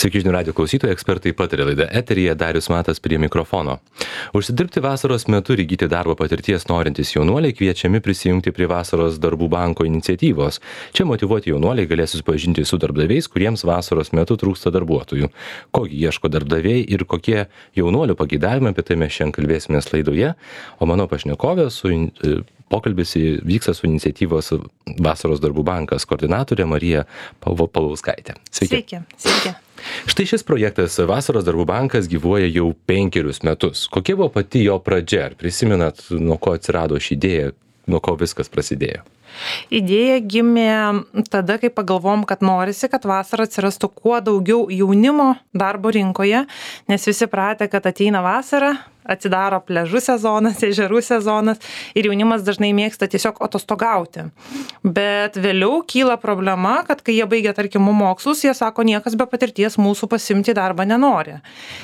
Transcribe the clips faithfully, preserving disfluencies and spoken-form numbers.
Sveiki žinių radijo klausytojai, ekspertai pataria laida eteryje, Darius Matas prie mikrofono. Užsidirbti vasaros metu ir įgyti darbo patirties norintys jaunuoliai kviečiami prisijungti prie vasaros darbų banko iniciatyvos. Čia motyvuoti jaunuoliai galės susipažinti su darbdaviais, kuriems vasaros metu trūksta darbuotojų. Kokį ieško darbdaviai ir kokie jaunuolių pageidavimai, apie tai mes šiandien kalbėsimės laidoje. O mano pašnekovė su pokalbis vyksta su iniciatyvos Vasaros darbų bankas koordinatorė Marija Paulauskaitė. Sveiki. Sveiki. Sveiki. Štai šis projektas Vasaros darbų bankas gyvuoja jau penkerius metus. Kokia buvo pati jo pradžia? Ar prisimenat, nuo ko atsirado ši idėja, nuo ko viskas prasidėjo? Idėja gimė tada, kai pagalvom, kad norisi, kad vasarą atsirastų kuo daugiau jaunimo darbo rinkoje, nes visi pratę, kad ateina vasara, atsidaro pliažų sezonas, ežerų sezonas ir jaunimas dažnai mėgsta tiesiog atostogauti. Bet vėliau kyla problema, kad kai jie baigia, tarkim, mokslus, jie sako, niekas be patirties mūsų pasimti darbą nenori.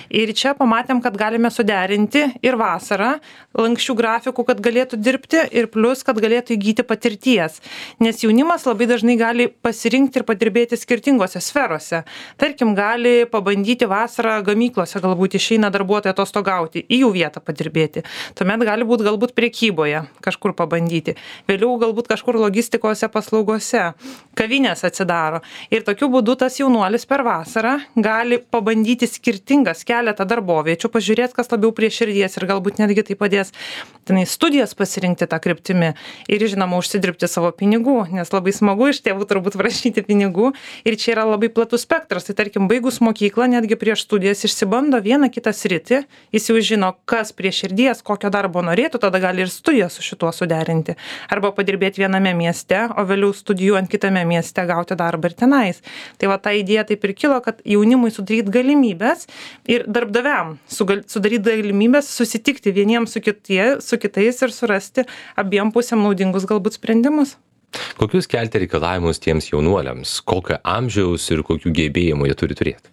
Ir čia pamatėm, kad galime suderinti ir vasarą, lanksčių grafikų, kad galėtų dirbti ir plus, kad galėtų įgyti patirties. Nes jaunimas labai dažnai gali pasirinkti ir padirbėti skirtingose sferose. Tarkim, gali pabandyti vasarą gamyklose, galbūt išeina darbuotojai atostogauti, į jų vietą padirbėti. Tuomet gali būti galbūt prekyboje kažkur pabandyti. Vėliau galbūt kažkur logistikose paslaugose. Kavinės atsidaro. Ir tokiu būdu tas jaunuolis per vasarą gali pabandyti skirtingas keletą darboviečių, pažiūrėti, kas labiau prie širdies ir galbūt netgi tai padės tenai studijas pasirinkti tą kryptimį ir, žinoma, užsidirbti savo pinigų, nes labai smagu iš tėvų turbūt prašyti pinigų. Ir čia yra labai platus spektras. Tai tarkim, baigus mokyklą, netgi prieš studijas išsibando vieną kitą sritį, jis jau žino, kas prie širdies, kokio darbo norėtų, tada gali ir studijas su šituo suderinti. Arba padirbėti viename mieste, o vėliau studijuojant kitame mieste gauti darbą ir tenais. Tai va ta idėja taip ir kilo, kad jaunimui sudaryti galimybės ir darbdaviam sudaryti galimybės susitikti vieniems su, kitie, su kitais ir surasti abiem pusėm naudingus galbūt sprendimus. Kokius kelti reikalavimus tiems jaunuoliams? Kokio amžiaus ir kokių gebėjimų jie turi turėti?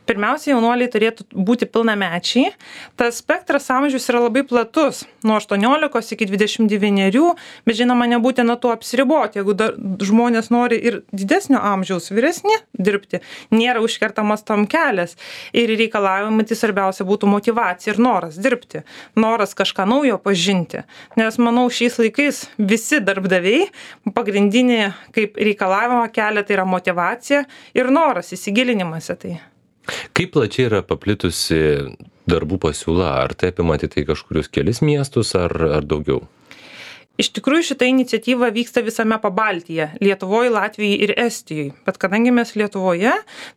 Pirmiausia, jaunuoliai turėtų būti pilnamečiai. Tas spektras amžius yra labai platus, nuo aštuoniolikos iki dvidešimt devynerių, bet žinoma, nebūtina tuo apsiriboti. Jeigu dar žmonės nori ir didesnio amžiaus vyresni dirbti, nėra užkertamas tam kelias. Ir reikalavimai tai svarbiausia būtų motyvacija ir noras dirbti, noras kažką naujo pažinti. Nes manau, šiais laikais visi darbdaviai pagrindinį kaip reikalavimą kelia tai yra motyvacija ir noras, įsigilinimas į tai. Kaip plačiai yra paplitusi darbų pasiūla? Ar tai apima tai kažkurius kelis miestus ar, ar daugiau? Iš tikrųjų, šita iniciatyva vyksta visame Pabaltyje, Lietuvoje, Latvijoje ir Estijoje. Bet kadangi mes Lietuvoje,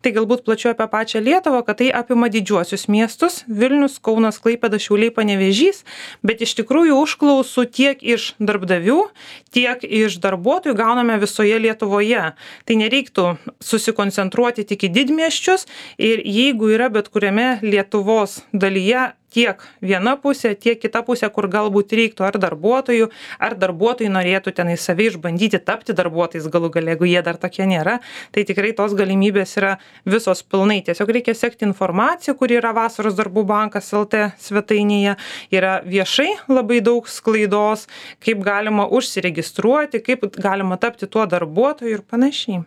tai galbūt plačiau apie pačią Lietuvą, kad tai apima didžiuosius miestus – Vilnius, Kaunas, Klaipėda, Šiauliai, Panevėžys, bet iš tikrųjų užklausų tiek iš darbdavių, tiek iš darbuotojų gauname visoje Lietuvoje. Tai nereiktų susikoncentruoti tik į didmiesčius ir jeigu yra bet kuriame Lietuvos dalyje tiek viena pusė, tiek kita pusė, kur galbūt reiktų ar darbuotojų, ar darbuotojai norėtų tenai savai išbandyti tapti darbuotojais galų gale, jeigu jie dar tokie nėra, tai tikrai tos galimybės yra visos pilnai. Tiesiog reikia sekti informaciją, kuri yra Vasaros darbų bankas L T svetainėje, yra viešai labai daug sklaidos, kaip galima užsiregistruoti, kaip galima tapti tuo darbuotoju ir panašiai.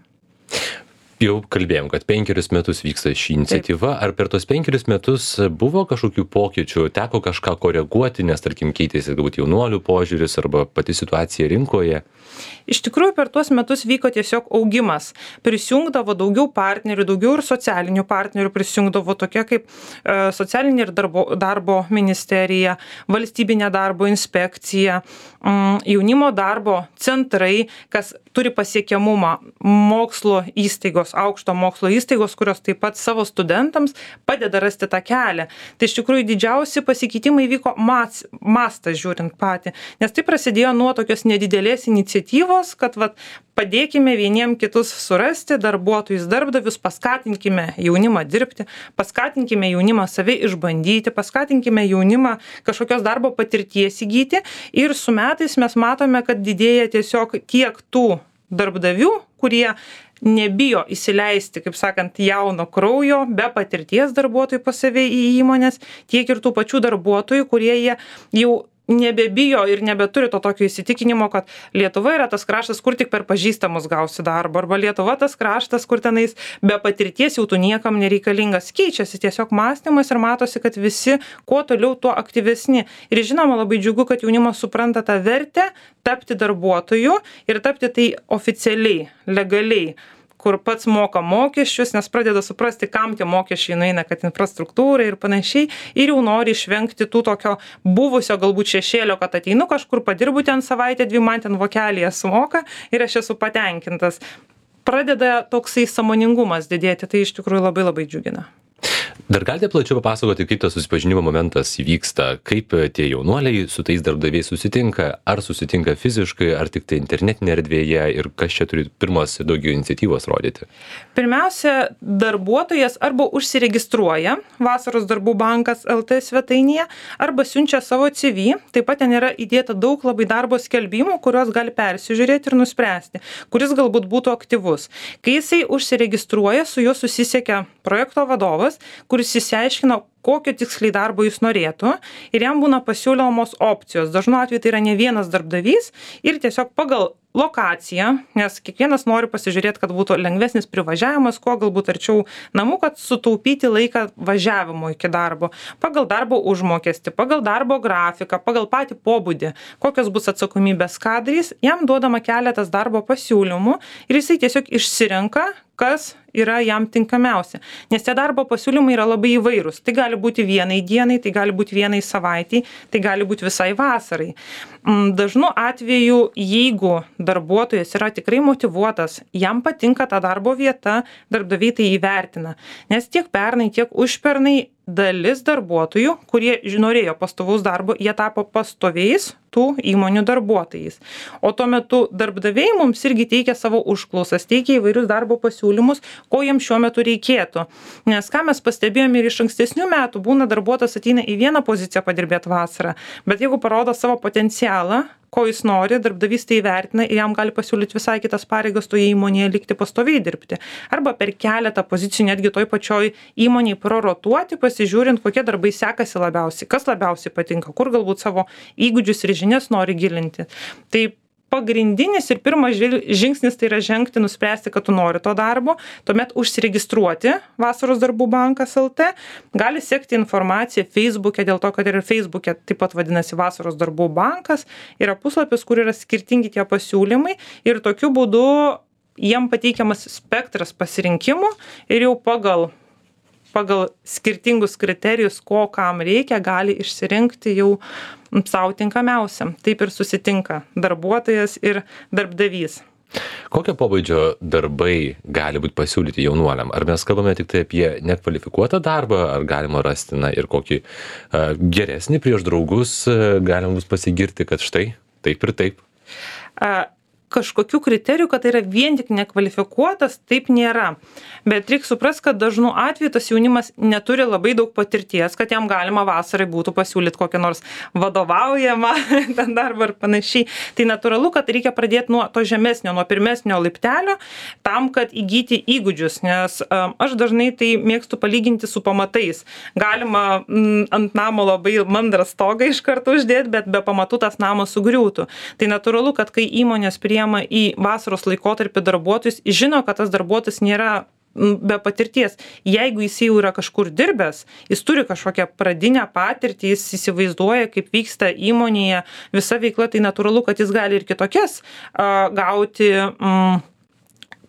Jau kalbėjom, kad penkerius metus vyksta ši iniciatyva. Ar per tos penkerius metus buvo kažkokių pokyčių, teko kažką koreguoti, nes tarkim keitėsi galbūt jaunuolių požiūris arba pati situacija rinkoje? Iš tikrųjų, per tuos metus vyko tiesiog augimas. Prisijungdavo daugiau partnerių, daugiau ir socialinių partnerių prisijungdavo tokie kaip e, socialinė ir darbo, darbo ministerija, valstybinė darbo inspekcija, m, jaunimo darbo centrai, kas turi pasiekiamumą, mokslo įstaigos, aukšto mokslo įstaigos, kurios taip pat savo studentams padeda rasti tą kelią. Tai iš tikrųjų didžiausi pasikeitimai vyko mas, mastas žiūrint patį, nes tai prasidėjo nuo tokios nedidelės iniciatyvos, kad vat, padėkime vieniem kitus surasti, darbuotojus, darbdavius, paskatinkime jaunimą dirbti, paskatinkime jaunimą save išbandyti, paskatinkime jaunimą kažkokios darbo patirties įgyti ir su metais mes matome, kad didėja tiesiog tiek tų darbdavių, kurie nebijo įsileisti, kaip sakant, jauno kraujo, be patirties darbuotojų pas save į įmonės, tiek ir tų pačių darbuotojų, kurie jie jau nebebijo ir nebeturi to tokio įsitikinimo, kad Lietuva yra tas kraštas, kur tik per pažįstamus gausi darbą, arba Lietuva tas kraštas, kur tenais be patirties jau tu niekam nereikalingas. Keičiasi tiesiog mąstymas ir matosi, kad visi kuo toliau, tuo aktyvesni. Ir žinoma, labai džiugu, kad jaunimas supranta tą vertę tapti darbuotoju ir tapti tai oficialiai, legaliai, kur pats moka mokesčius, nes pradeda suprasti, kam tie mokesčiai nueina, kad infrastruktūra ir panašiai, ir jau nori išvengti tų tokio buvusio galbūt šešėlio, kad ateinu kažkur, padirbu ten savaitę, dvi, man ten vokelėje sumoka ir aš esu patenkintas. Pradeda toksai sąmoningumas didėti, tai iš tikrųjų labai labai džiugina. Dar galite plačiau papasakoti, kaip tas susipažinimo momentas įvyksta, kaip tie jaunuoliai su tais darbdaviais susitinka, ar susitinka fiziškai, ar tik tai internetinėje erdvėje ir kas čia turi pirmos daugiau iniciatyvos rodyti? Pirmiausia, darbuotojas arba užsiregistruoja Vasaros darbų bankas L T svetainėje, arba siunčia savo C V, taip pat ten yra įdėta daug labai darbo skelbimų, kuriuos gali persižiūrėti ir nuspręsti, kuris galbūt būtų aktyvus. Kai jisai užsiregistruoja, su juo susisiekia projekto vadovas, kuris išsiaiškino, kokio tiksliai darbo jis norėtų, ir jam būna pasiūlomos opcijos. Dažnu atveju tai yra ne vienas darbdavys ir tiesiog pagal lokaciją, nes kiekvienas nori pasižiūrėti, kad būtų lengvesnis privažiavimas, kuo galbūt arčiau namų, kad sutaupyti laiką važiavimo iki darbo, pagal darbo užmokestį, pagal darbo grafiką, pagal patį pobūdį, kokios bus atsakomybės kadrys, jam duodama keletas darbo pasiūlymų ir jisai tiesiog išsirenka, kas yra jam tinkamiausia. Nes tie darbo pasiūlymai yra labai įvairūs. Tai gali būti vienai dienai, tai gali būti vienai savaitei, tai gali būti visai vasarai. Dažnu atveju, jeigu darbuotojas yra tikrai motyvuotas, jam patinka ta darbo vieta, darbdaviai tai įvertina. Nes tiek pernai, tiek užpernai dalis darbuotojų, kurie norėjo pastovaus darbo, jie tapo pastoviais tų įmonių darbuotojais. O tuo metu darbdaviai mums irgi teikia savo užklausas, teikia įvairius darbo pasiūlymus, ko jiems šiuo metu reikėtų. Nes ką mes pastebėjome ir iš ankstesnių metų, būna darbuotojas ateina į vieną poziciją padirbėti vasarą, bet jeigu parodo savo potencialą, ko jis nori, darbdavys tai įvertina ir jam gali pasiūlyti visai kitas pareigas toje įmonėje likti pastoviai dirbti. Arba per keletą pozicijų netgi toj pačioj įmonėje prorotuoti, pasižiūrint, kokie darbai sekasi labiausiai, kas labiausiai patinka, kur galbūt savo įgūdžius ir žinias nori gilinti. Tai pagrindinis ir pirmas žingsnis tai yra žengti, nuspręsti, kad tu nori to darbo, tuomet užsiregistruoti Vasaros darbų bankas L T, gali sekti informaciją Facebook'e, dėl to, kad ir Facebook'e taip pat vadinasi Vasaros darbų bankas, yra puslapis, kur yra skirtingi tie pasiūlymai ir tokiu būdu jiem pateikiamas spektras pasirinkimų ir jau pagal pagal skirtingus kriterijus, ko kam reikia, gali išsirinkti jau savo tinkamiausiam. Taip ir susitinka darbuotojas ir darbdavys. Kokio pobūdžio darbai gali būti pasiūlyti jaunuoliam? Ar mes kalbame tik tai apie nekvalifikuotą darbą, ar galima rasti na, ir kokį uh, geresnį prieš draugus, uh, galima bus pasigirti, kad štai taip ir taip? Uh, kažkokių kriterijų, kad tai yra vien tik nekvalifikuotas, taip nėra. Bet reikia suprasti, kad dažnu atveju tas jaunimas neturi labai daug patirties, kad jam galima vasarai būtų pasiūlyti kokią nors vadovaujamą ten darbą ar panašiai. Tai natūralu, kad reikia pradėti nuo to žemesnio, nuo pirmesnio laiptelio, tam, kad įgyti įgūdžius, nes um, aš dažnai tai mėgstu palyginti su pamatais. Galima m, ant namo labai mandrą stogą iš karto uždėti, bet be pamatų tas namas sugriūtų. Tai natūralu, kad kai įmonės prie į vasaros laikotarpį darbuotojus, žino, kad tas darbuotojas nėra be patirties. Jeigu jis jau yra kažkur dirbęs, jis turi kažkokią pradinę patirtį, jis įsivaizduoja, kaip vyksta įmonėje visa veikla, tai natūralu, kad jis gali ir kitokias uh, gauti um,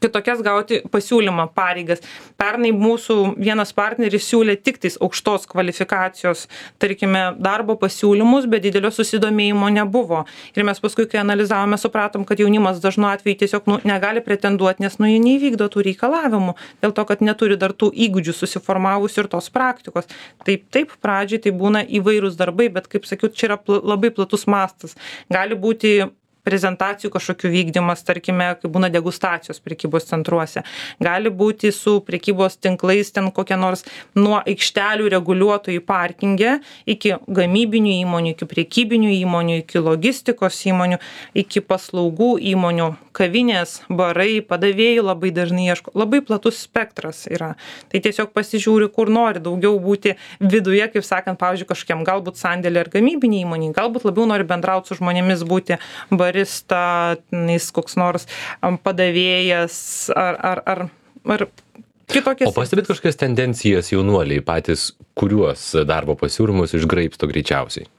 kitokias gauti pasiūlymą pareigas. Pernai mūsų vienas partneris siūlė tik tais aukštos kvalifikacijos, tarkime, darbo pasiūlymus, bet didelio susidomėjimo nebuvo. Ir mes paskui, kai analizavome, supratom, kad jaunimas dažnu atveju tiesiog nu, negali pretenduoti, nes nu, jie neįvykdo tų reikalavimų, dėl to, kad neturi dar tų įgūdžių susiformavusių ir tos praktikos. Taip, taip, pradžiai tai būna įvairūs darbai, bet kaip sakiau, čia yra pl- labai platus mastas. Gali būti prezentacijų kažkokių vykdymas, tarkime, kai būna degustacijos prekybos centruose. Gali būti su prekybos tinklais ten kokie nors nuo aikštelių reguliuotojų parkinge iki gamybinių įmonių, iki prekybinių įmonių, iki logistikos įmonių, iki paslaugų įmonių, kavinės, barai, padavėjų labai dažnai ieško. Labai platus spektras yra. Tai tiesiog pasižiūri, kur nori daugiau būti viduje, kaip sakant, pavyzdžiui, kažkokiam galbūt sandėlį ar gamybinį įmonį, galbūt labiau nori bendrauti su žmonėmis, būti barista, jis koks nors padavėjas ar, ar, ar, ar kitokias. O pastebėt kažkokias tendencijas jaunuoliai patys, kuriuos darbo pasiūlymus išgraibsto greičiausiai?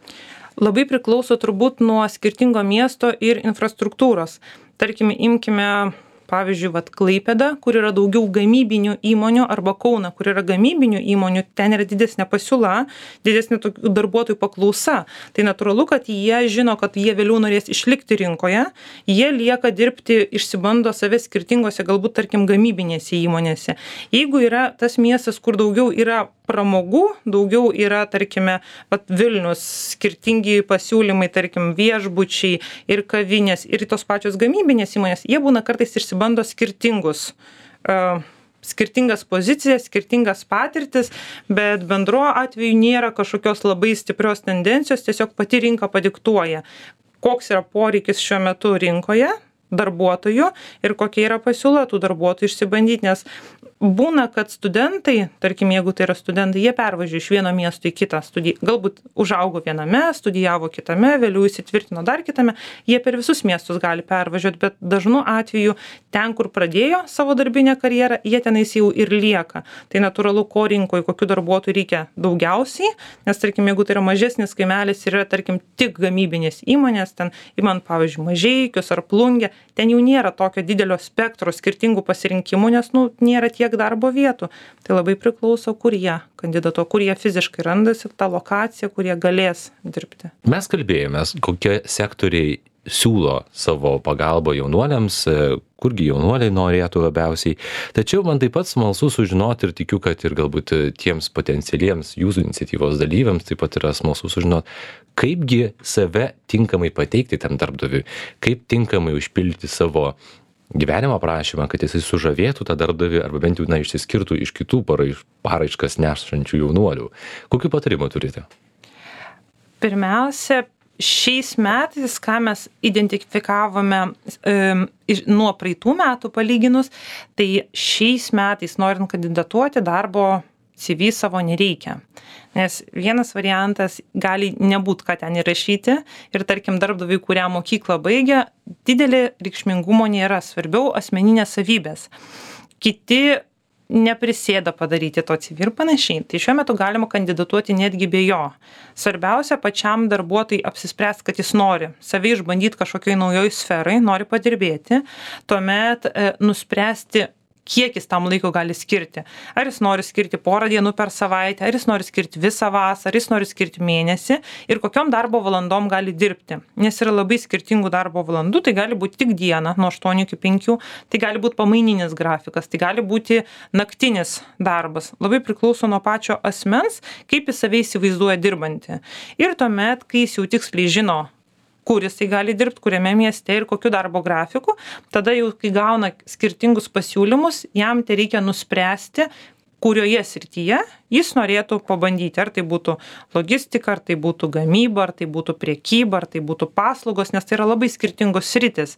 Labai priklauso turbūt nuo skirtingo miesto ir infrastruktūros. Tarkime, imkime pavyzdžiui, vat Klaipėda, kur yra daugiau gamybinių įmonių, arba Kauną, kur yra gamybinių įmonių, ten yra didesnė pasiūla, didesnė darbuotojų paklausa. Tai natūralu, kad jie žino, kad jie vėliau norės išlikti rinkoje, jie lieka dirbti, išsibando save skirtingose, galbūt, tarkim, gamybinėse įmonėse. Jeigu yra tas miestas, kur daugiau yra pramogų, daugiau yra, tarkime, vat Vilnius, skirtingi pasiūlymai, tarkim, viešbučiai ir kavinės, ir tos pačios gamybinės įmonės, jie būna kartais išsibando skirtingus, uh, skirtingas pozicijas, skirtingas patirtis, bet bendro atveju nėra kažkokios labai stiprios tendencijos, tiesiog pati rinka padiktuoja, koks yra poreikis šiuo metu rinkoje darbuotojų ir kokia yra pasiūla tų darbuotojų išsibandyti, nes būna, kad studentai, tarkim, jeigu tai yra studentai, jie pervažiuoja iš vieno miesto į kitą studiją, galbūt užaugo viename, studijavo kitame, vėliau įsitvirtino dar kitame, jie per visus miestus gali pervažiuoti, bet dažnu atveju ten, kur pradėjo savo darbinę karjerą, jie tenais jau ir lieka. Tai natūralu, ko rinkoje, kokių darbuotojų reikia daugiausiai, nes, tarkim, jeigu tai yra mažesnis kaimelis ir yra, tarkim, tik gamybinės įmonės, ten imant, pavyzdžiui, Mažeikius ar Plungę, ten jau nėra tokio didelio spektro skirtingų pasirinkimų, nes, nu, nėra tiek darbo vietų. Tai labai priklauso, kur jie kandidatuoja, kur jie fiziškai randasi, tą lokaciją, kur jie galės dirbti. Mes kalbėjomės, kokie sektoriai siūlo savo pagalbą jaunuoliams, kurgi jaunuoliai norėtų labiausiai. Tačiau man taip pat smalsu sužinoti ir tikiu, kad ir galbūt tiems potencialiems jūsų iniciatyvos dalyviams taip pat yra smalsu sužinoti, kaipgi save tinkamai pateikti tam darbdaviui, kaip tinkamai užpildyti savo gyvenimo aprašymą, kad jisai sužavėtų tą darbdavį arba bent jau na, išsiskirtų iš kitų paraiš, paraiškas nešančių jaunuolių. Kokių patarimų turite? Pirmiausia, šiais metais, ką mes identifikavome e, nuo praeitų metų palyginus, tai šiais metais, norint kandidatuoti, darbo C V savo nereikia. Nes vienas variantas gali nebūt, ką ten įrašyti ir, tarkim, darbdaviai, kurią mokyklą baigia, didelė reikšmingumo nėra, svarbiau asmeninės savybės. Kiti neprisėda padaryti to C V ir panašiai. Tai šiuo metu galima kandidatuoti netgi be jo. Svarbiausia pačiam darbuotojui apsispręsti, kad jis nori save išbandyti kažkokioj naujoj sferai, nori padirbėti, tuomet e, nuspręsti, kiek jis tam laiko gali skirti. Ar jis nori skirti porą dienų per savaitę, ar jis nori skirti visą vasarą, ar jis nori skirti mėnesį ir kokiom darbo valandom gali dirbti. Nes yra labai skirtingų darbo valandų, tai gali būti tik diena nuo aštuonių iki penkių, tai gali būti pamaininis grafikas, tai gali būti naktinis darbas. Labai priklauso nuo pačio asmens, kaip jis save įsivaizduoja dirbantį. Ir tuomet, kai jis jau tiksliai žino, kur jisai gali dirbti, kuriame mieste ir kokiu darbo grafiku, tada jau, kai gauna skirtingus pasiūlymus, jam tai reikia nuspręsti, kurioje srityje jis norėtų pabandyti. Ar tai būtų logistika, ar tai būtų gamyba, ar tai būtų prekyba, ar tai būtų paslaugos, nes tai yra labai skirtingos sritis.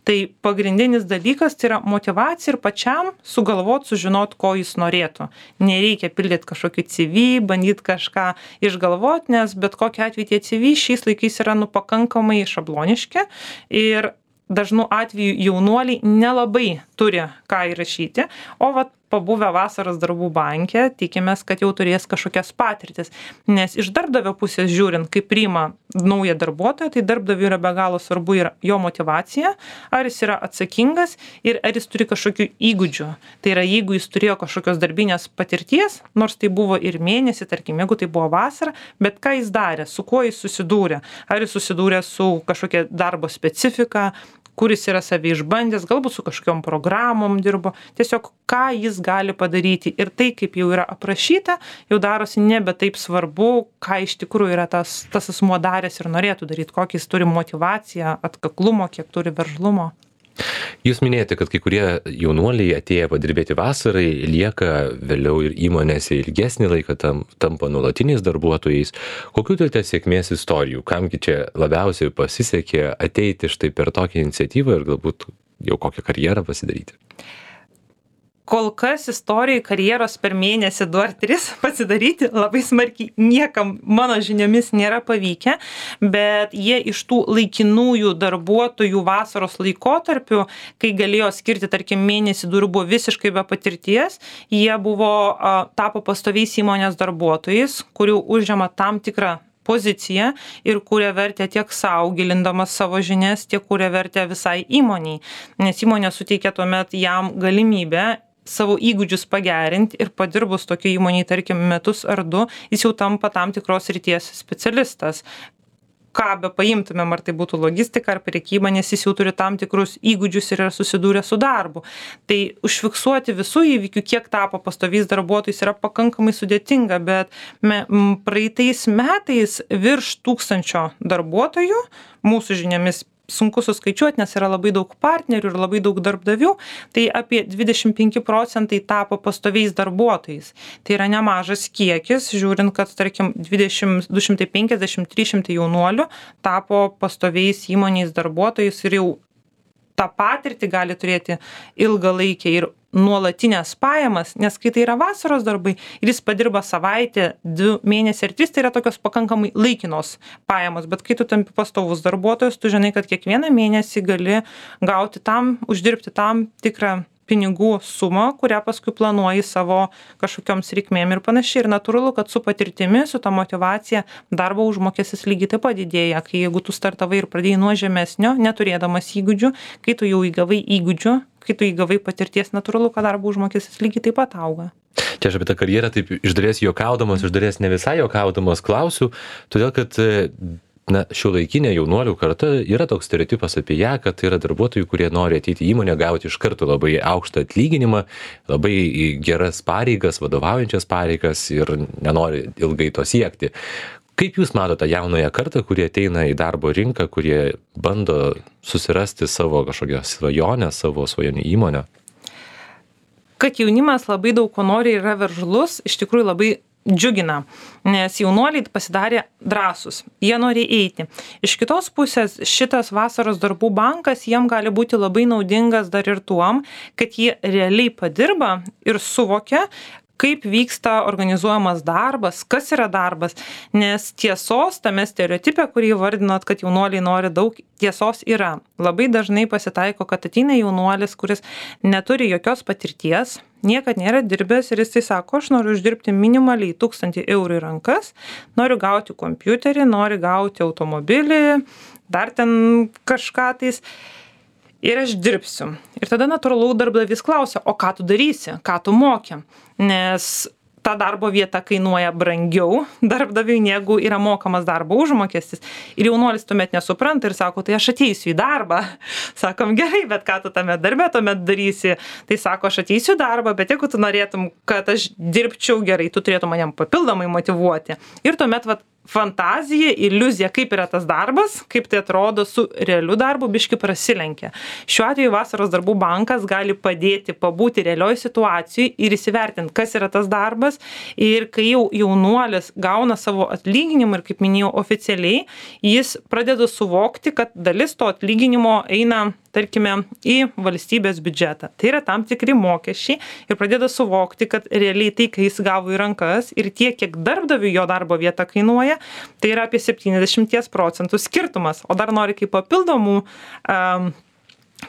Tai pagrindinis dalykas tai yra motyvacija ir pačiam sugalvot, sužinot, ko jis norėtų. Nereikia pildyti kažkokį C V, bandyti kažką išgalvot, nes bet kokiu atveju tie C V šiais laikais yra nu pakankamai šabloniški ir dažnu atveju jaunuoliai nelabai turi ką įrašyti, o vat pabuvę vasaros darbų banke, tikimės, kad jau turės kažkokias patirtis. Nes iš darbdavio pusės žiūrint, kaip priima naują darbuotoją, tai darbdaviui yra be galo svarbu ir jo motyvacija, ar jis yra atsakingas ir ar jis turi kažkokių įgūdžių. Tai yra, jeigu jis turėjo kažkokios darbinės patirties, nors tai buvo ir mėnesį, tarkim, jeigu tai buvo vasara, bet ką jis darė, su kuo jis susidūrė. Ar jis susidūrė su kažkokia darbo specifika, kur jis yra save išbandęs, galbūt su kažkokiom programom dirbo, tiesiog ką jis gali padaryti. Ir tai, kaip jau yra aprašyta, jau darosi nebe taip svarbu, ką iš tikrųjų yra tas, tas asmuo daręs ir norėtų daryti, kokį jis turi motyvaciją, atkaklumo, kiek turi veržlumo. Jūs minėjote, kad kai kurie jaunuoliai atėję padirbėti vasarai lieka vėliau ir įmonėse ilgesnį laiką, tam, tampa nuolatiniais darbuotojais. Kokių turite sėkmės istorijų? Kamgi čia labiausiai pasisekė ateiti štai per tokią iniciatyvą ir galbūt jau kokią karjerą pasidaryti? Kol kas istorijai karjeros per mėnesį du ar tris pasidaryti labai smarkiai niekam mano žiniomis nėra pavykę, bet jie iš tų laikinųjų darbuotojų vasaros laikotarpių, kai galėjo skirti, tarkim, mėnesį du ir buvo visiškai be patirties, jie buvo, tapo pastoviais įmonės darbuotojais, kurių užima tam tikrą poziciją ir kuria vertę tiek sau, gilindamas savo žinias, tiek kuria vertę visai įmoniai, nes įmonė suteikia tuomet jam galimybę savo įgūdžius pagerinti ir padirbus tokio įmonėje, tarkim, metus ar du, jis jau tampa tam tikros srities specialistas. Ką be paimtumėm, ar tai būtų logistika ar prekyba, nes jis jau turi tam tikrus įgūdžius ir yra susidūrę su darbu. Tai užfiksuoti visų įvykių, kiek tapo pastoviais darbuotojais, yra pakankamai sudėtinga, bet me, m, praeitais metais virš tūkstančio darbuotojų, mūsų žiniomis, sunku suskaičiuoti, nes yra labai daug partnerių ir labai daug darbdavių, tai apie dvidešimt penki procentai tapo pastoviais darbuotojais. Tai yra nemažas kiekis, žiūrint, kad, tarkim, dvidešimt, du šimtai penkiasdešimt trys šimtai jaunuolių tapo pastoviais įmonės darbuotojais ir jau tą patirtį gali turėti ilgalaikę ir nuolatinės pajamas, nes kai tai yra vasaros darbai ir jis padirba savaitę, du mėnesiai ar tris, tai yra tokios pakankamai laikinos pajamos, bet kai tu tampi pastovus darbuotojas, tu žinai, kad kiekvieną mėnesį gali gauti tam, uždirbti tam tikrą pinigų sumą, kurią paskui planuoji savo kažkokioms reikmėm ir panašiai. Ir natūralu, kad su patirtimi, su ta motyvacija darbo užmokestis lygiai taip pat didėja, kai jeigu tu startavai ir pradėjai nuo žemesnio, neturėdamas įgūdžių, kai tu jau įgavai įgūdžių, kai tu įgavai patirties, natūralu, kad darbo užmokestis lygiai taip pat auga. Čia aš apie tą karjerą taip iš dalies juokaudamas, iš dalies ne visai juokaudamas klausiu, todėl kad na, šiuolaikinė jaunuolių karta yra toks stereotipas apie ją, kad tai yra darbuotojų, kurie nori ateiti į įmonę, gauti iš karto labai aukštą atlyginimą, labai geras pareigas, vadovaujančias pareigas ir nenori ilgai to siekti. Kaip jūs matote jaunąją kartą, kurie ateina į darbo rinką, kurie bando susirasti savo kažkokią svajonę, savo svajonių įmonę? Kad jaunimas labai daug ko nori ir yra veržlus, iš tikrųjų labai džiugina, nes jaunuoliai pasidarė drąsūs, jie nori eiti. Iš kitos pusės šitas vasaros darbų bankas jiem gali būti labai naudingas dar ir tuom, kad jie realiai padirba ir suvokia, kaip vyksta organizuojamas darbas, kas yra darbas, nes tiesos tame stereotipe, kurį vardinot, kad jaunuoliai nori daug, tiesos yra. Labai dažnai pasitaiko, kad ateina jaunuolis, kuris neturi jokios patirties, niekad nėra dirbęs ir jis tai sako, aš noriu uždirbti minimaliai tūkstantį eurų į rankas, noriu gauti kompiuterį, noriu gauti automobilį, dar ten kažką tais. Ir aš dirbsiu. Ir tada natūralu darbdavys klausia, o ką tu darysi, ką tu moki, nes ta darbo vieta kainuoja brangiau darbdaviui, negu yra mokamas darbo užmokestis. Ir jaunuolis tuomet nesupranta ir sako, tai aš ateisiu į darbą. Sakom, gerai, bet ką tu tame darbe tuomet darysi? Tai sako, aš ateisiu į darbą, bet jeigu tu norėtum, kad aš dirbčiau gerai, tu turėtum manim papildomai motyvuoti. Ir tuomet vat, fantazija, iliuzija, kaip yra tas darbas, kaip tai atrodo su realiu darbu, biški prasilenkia. Šiuo atveju vasaros darbų bankas gali padėti pabūti realioj situacijai ir įsivertinti, kas yra tas darbas. Ir kai jau jaunuolis gauna savo atlyginimą ir, kaip minėjau, oficialiai, jis pradeda suvokti, kad dalis to atlyginimo eina, tarkime, į valstybės biudžetą. Tai yra tam tikri mokesčiai ir pradeda suvokti, kad realiai tai, kai jis gavo į rankas ir tiek, kiek darbdaviui jo darbo vieta kainuoja, tai yra apie septyniasdešimt procentų skirtumas. O dar nori kaip papildomų, um,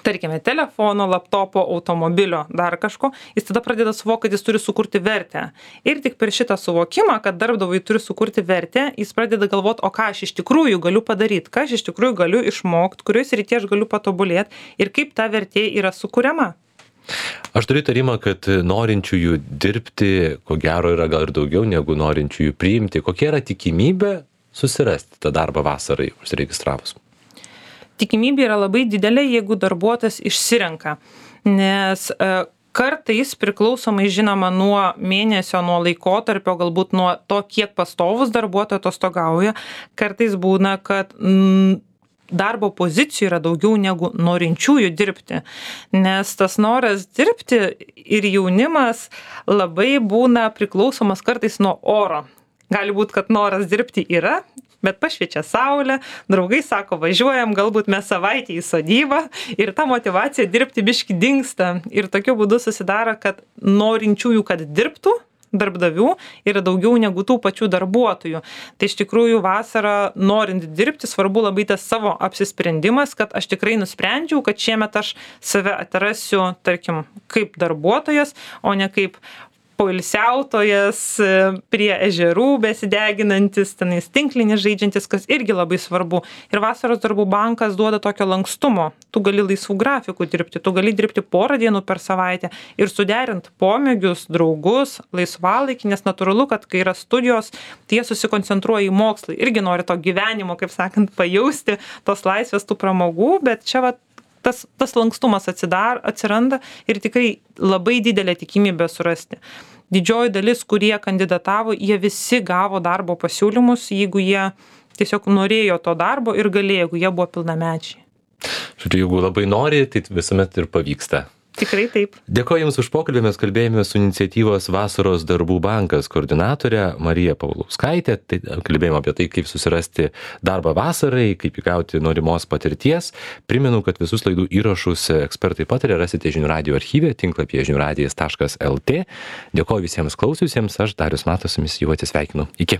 tarkime, telefono, laptopo, automobilio, dar kažko, jis tada pradeda suvokti, kad jis turi sukurti vertę. Ir tik per šitą suvokimą, kad darbdavui turi sukurti vertę, jis pradeda galvoti, o ką aš iš tikrųjų galiu padaryti, ką aš iš tikrųjų galiu išmokti, kurios srityje aš galiu patobulėti ir kaip ta vertė yra sukuriama. Aš turiu įtarimą, kad norinčiųjų dirbti, ko gero, yra gal ir daugiau negu norinčiųjų priimti. Kokia yra tikimybė susirasti tą darbą vasarai užsiregistravus? tikimybė yra labai didelė, jeigu darbuotojas išsirenka, nes kartais priklausomai žinoma nuo mėnesio, nuo laikotarpio, galbūt nuo to, kiek pastovus darbuotojas atostogauja, kartais būna, kad mm, darbo pozicijų yra daugiau negu norinčiųjų dirbti, nes tas noras dirbti ir jaunimas labai būna priklausomas kartais nuo oro. Gali būti, kad noras dirbti yra, bet pašviečia saulė, draugai sako, važiuojam, galbūt mes savaitę į sodybą ir ta motyvacija dirbti biški dingsta. Ir tokiu būdu susidaro, kad norinčiųjų, kad dirbtų, darbdavių yra daugiau negu tų pačių darbuotojų. Tai iš tikrųjų vasarą norint dirbti, svarbu labai tas savo apsisprendimas, kad aš tikrai nusprendžiau, kad šiemet aš save atrasiu, tarkim, kaip darbuotojas, o ne kaip poilsiautojas prie ežerų besideginantis, tenais tinklinį žaidžiantis, kas irgi labai svarbu. Ir vasaros darbų bankas duoda tokio lankstumo. Tu gali laisvų grafikų dirbti, tu gali dirbti porą dienų per savaitę ir suderint pomėgius, draugus, laisvalaikį, nes natūralu, kad kai yra studijos, tie susikoncentruoja į mokslą. Irgi nori to gyvenimo, kaip sakant, pajausti, tos laisvės, tų pramogų, bet čia va Tas, tas lankstumas atsidar, atsiranda ir tikrai labai didelė tikimybė surasti. Didžioji dalis, kurie kandidatavo, jie visi gavo darbo pasiūlymus, jeigu jie tiesiog norėjo to darbo ir galėjo, jeigu jie buvo pilnamečiai. Žodžiu, jeigu labai nori, tai visuomet ir pavyksta. Tikrai taip. Dėkoju Jums už pokalbį, mes kalbėjome su iniciatyvos Vasaros darbų bankas koordinatorė Marija Paulauskaitė. Tai kalbėjome apie tai, kaip susirasti darbą vasarai, kaip įgauti norimos patirties. Primenu, kad visus laidų įrašus ekspertai pataria rasite žinių radijo archyve, tinklapyje žinių radijas taškas lt. Dėkoju visiems klausiusiems, aš Darius Matas su jumis jau atsisveikinu. Iki.